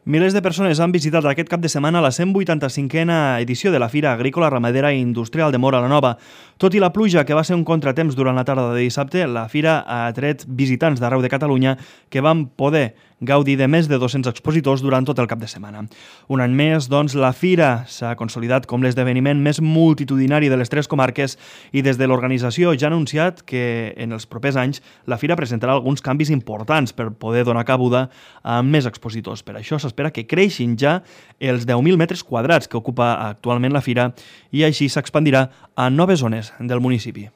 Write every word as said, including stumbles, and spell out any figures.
Milers de persones han visitat aquest cap de setmana la cent vuitanta-cinquena edició de la Fira Agrícola, Ramadera i Industrial de Móra la Nova. Tot i la pluja, que va ser un contratemps durant la tarda de dissabte, la Fira ha atret visitants d'arreu de Catalunya que van poder gaudir de més de dos-cents expositors durant tot el cap de setmana. Un any més, doncs, la Fira s'ha consolidat com l'esdeveniment més multitudinari de les tres comarques i des de l'organització ja ha anunciat que en els propers anys la Fira presentarà alguns canvis importants per poder donar cabuda a més expositors. Per això s'espera que creixin ja els deu mil metres quadrats que ocupa actualment la Fira i així s'expandirà a noves zones del municipi.